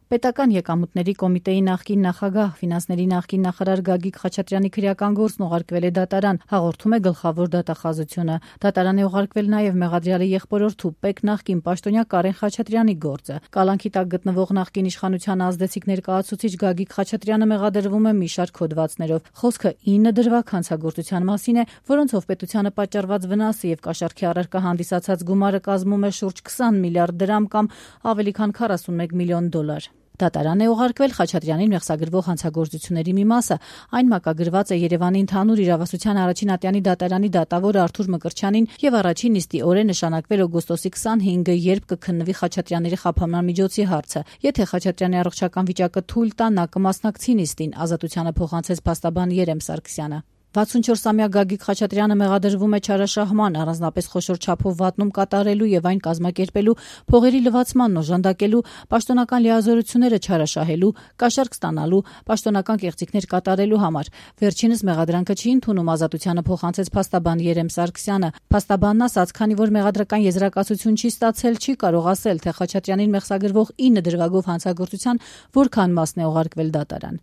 Պետական եկամուտների կոմիտեի նախկին նախագահ, ֆինանսների նախկին նախարար Գագիկ Խաչատրյանի քրեական գործն ուղարկվել է դատարան, հաղորդում է Գլխավոր դատախազությունը։ Դատարան է ուղարկվել նաև մեղադրյալի եղբորորդու ՊԵԿ նախկին պաշտոնյա Կարեն Խաչատրյանի գործը։ Կալանքի տակ գտնվող նախկին իշխանության ազդեցիկ ներկայացուցիչ Գագիկ Խաչատրյանը մեղադրվում է մի շարք հոդվածներով։ Խոսքը 9 դրվագ հանցագործության մասին է, որոնցով պետությանը պատճառված վնասը եւ կաշառքի առարկա հանդիսացած գումարը կազմում է շուրջ 20 միլիարդ դրամ կամ ավելի քան 41 միլիոն դոլար։ Դատարան է ուղարկվել Խաչատրյանին մեղսագրվող հանցագործությունների մի մասը, այն մակագրված է Երևանի ընդհանուր իրավասության առաջին ատյանի դատարանի դատավոր Արթուր Մկրտչյանին եւ առաջին նիստի օրը նշանակվել օգոստոսի 25-ը, երբ կքննվի Խաչատրյանների խափանման միջոցի հարցը։ Եթե Խաչատրյանի առողջական վիճակը թույլ տա, նա կմասնակցի նիստին, ազատությանը փոխանցեց փաստաբան Երեմ Սարգսյանը։ 64-ամյա Գագիկ Խաչատրյանը մեղադրվում է չարաշահման, առանձնապես խոշոր չափով վատնում կատարելու եւ այն կազմակերպելու, փողերի լվացմանն օժանդակելու, պաշտոնական լիազորությունները չարաշահելու, կաշառք ստանալու, պաշտոնական կեղծիքներ կատարելու համար։ Վերջինս մեղադրանքը չի ընդունում, ազատությանը փոխանցեց փաստաբան Երեմ Սարգսյանը։ Փաստաբանն ասաց, քանի որ մեղադրական եզրակացություն չի ստացել, չի կարող ասել, թե Խաչատրյանին մեղսագրվող 9 դրվագով հանցագործության որքան մասն է ուղարկվել դատարան։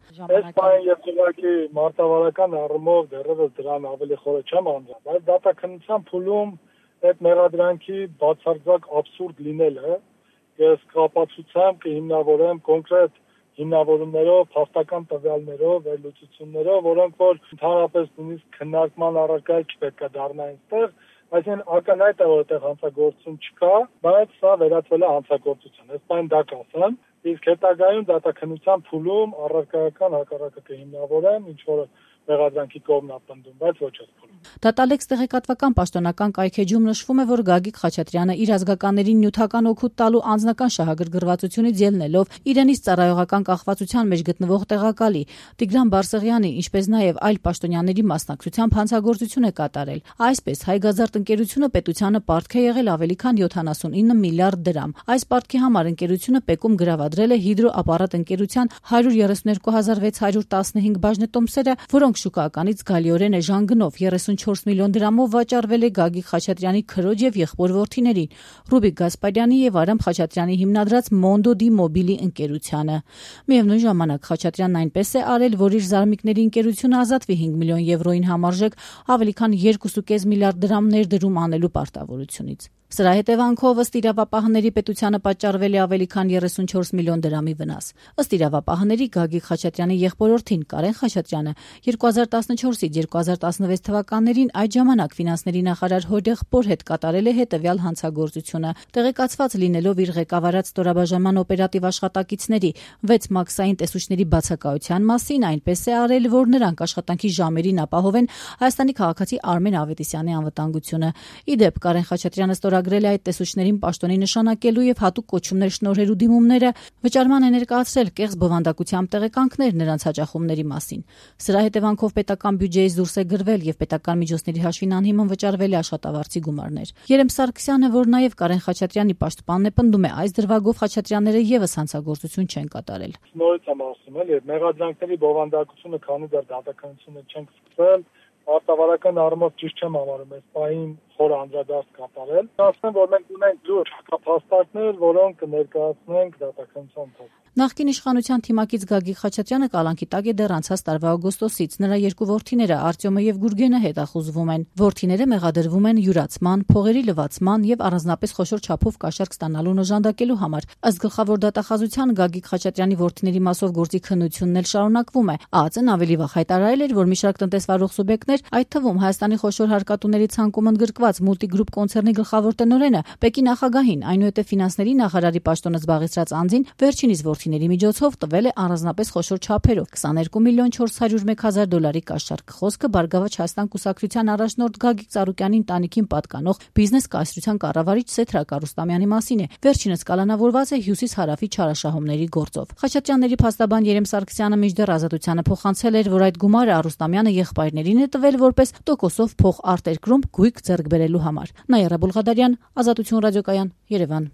Մարտավարական առումով դեռևս դրան ավելի խորը չեմ անդրադառնում, բայց դատաքննության փուլում այդ մեղադրանքի բացարձակ աբսուրդ լինելը ես կապացուցեմ կհիմնավորեմ կոնկրետ հիմնավորումներով, փաստական տվյալներով, վերլուծություններով, որոնք որ ընդհանրապես նույնիսկ քննարկման առարկա չպետք է դառնային այստեղ, այսինքն ակնհայտ է, որ այդտեղ հանցագործություն չկա, բայց սա վերածվել է հանցագործության։ Այս բանը դա կասեմ, իսկ հետագայում դատաքննության փուլում առարկայական հակառակը կհիմնավորեմ, ինչ որ մեղադրանքի կողմն ապնդում, բայց ոչ այս փուլում։ Դատալեքս տեղեկատվական պաշտոնական կայքեջում նշվում է, որ Գագիկ Խաչատրյանը իր ազգականներին նյութական օգուտ տալու անձնական շահագրգռվածությունից ելնելով իրենից ծառայողական կախվածության մեջ գտնվող տեղակալի Տիգրան Բարսեղյանի, ինչպես նաև այլ պաշտոնյաների մասնակցությամբ հանցագործություն է կատարել։ Այսպես Հայգազարդ ընկերությունը պետությանը պարտք է եղել ավելի քան 79 միլիարդ դրամ։ Այս պարտքի համար ընկերությունը ՊԵԿ-ում գրավադրել է հիդրոապարատ ընկերության 132,615 բաժնետոմսերը, որոնք շուկայականից զգալիորեն էժան գնով 34 միլիոն դրամով վաճառվել է Գագիկ Խաչատրյանի քրոջ եւ եղբոր որդիներին, Ռուբիկ Գասպարյանի եւ Արամ Խաչատրյանի հիմնադրած Mondo di Mobili ընկերությանը։ Միևնույն ժամանակ Խաչատրյանն այնպես է արել, որ իր զարմիկների ընկերությունը ազատվի 5 միլիոն եվրոին համարժեք ավելի քան 2.5 միլիարդ դրամ ներդրում անելու պարտավորությունից։ Սրա հետևանքով ըստ իրավապահների պետությանը պատճառվել է ավելի քան 34 միլիոն դրամի վնաս։ Ըստ իրավապահների Գագիկ Խաչատրյանի եղբորորդին Կարեն Խաչատրյանը 2014-ից 2016 թվականներին այդ ժամանակ ֆինանսների նախարար հորեղբոր հետ կատարել է հետևյալ հանցագործությունը։ Տեղեկացված լինելով իր ղեկավարած ստորաբաժանման օպերատիվ աշխատակիցների 6 մաքսային տեսուչների բացակայության մասին, այնպես է արել, որ նրանք աշխատանքի ժամերին ապահովեն Հայաստանի քաղաքացի Արմեն Ավետիսյանի անվտանգությունը։ Ի դեպ Կարեն Խաչատրյանը ստորագրել է այդ տեսուչներին պաշտոնի նշանակելու եւ հատուկ կոչումներ շնորհելու դիմումները, վճարման է ներկայացրել կեղծ բովանդակությամբ տեղեկանքներ նրանց հաճախումների մասին։ Սրա հետևանքով պետական բյուջեից դուրս է գրվել եւ պետական միջոցների հաշվին անհիմն վճարվել է աշխատավարձի գումարներ։ Երեմ Սարգսյանը, որ նաեւ Կարեն Խաչատրյանի պաշտպանն է, պնդում է, այս դրվագով Խաչատրյանները եւս հանցագործություն չեն կատարել։ Նորից եմ ասում, եւ մեղադրանքների բովանդակությունը քանի դեռ դատականությունը չենք սկսել, արտավարական առումով ճիշտ չեմ համարում այս պահին խորը անդրադարձ կատարել։ Ասեմ, որ մենք ունենք լուրջ հակափաստարկներ, որոնք կներկայացնենք դատականության ընթացքում։ Նախկին իշխանության թիմակից Գագիկ Խաչատրյանը կալանքի տակ է դեռ անցած տարվա օգոստոսից։ Նրա երկու որդիները Արտյոմը եւ Գուրգենը հետախուզվում են։ Որդիները մեղադրվում են յուրացման, փողերի լվացման եւ առանձնապես խոշոր չափով կաշառք ստանալու օժանդակելու համար։ Ըստ Գլխավոր դատախազության Գագիկ Խաչատրյանի որդիների մասով գործի քննությունն էլ շարունակվում է։ ԱԱԾ-ն ավելի վաղ հայտարարել էր, որ մի շարք տնտեսվարող սուբյեկտներ, այդ թվում Հայաստանի խոշոր հարկատուների ցանկում ընդգրկված Multigroup կոնցեռնի գլխավոր տնօրենը, ՊԵԿ-ի նախագահին, այնուհետև ֆինանսների նախարարի պաշտոնը զբաղեցրած անձին վերջինիս որդիների միջոցով տվել է առանձնապես խոշոր չափերով 22 միլիոն 401 հազար դոլարի կաշառք։ Խոսքը Բարգավաճ Հայաստան կուսակցության առաջնորդ Գագիկ Ծառուկյանի ընտանիքին պատկանող բիզնես կայսրության կառավարիչ Սեթրակ Արուստամյանի մասին է։ Վերջինս կալանավորված է հյուսիս-հարավի չարաշահումների գործով։ Խաչատրյանների փաստաբան Երեմ Սարգսյանը մինչդեռ ազատությանը փոխանցել էր, որ այդ գումարը Արուստամյանը եղբայրներին է տվել որպես տոկոսով փող արտերկրում գույք ձեռք բերելու համար։ Նաիրա Բուլղադարյան, Ազատություն ռադիոկայան, Երևան։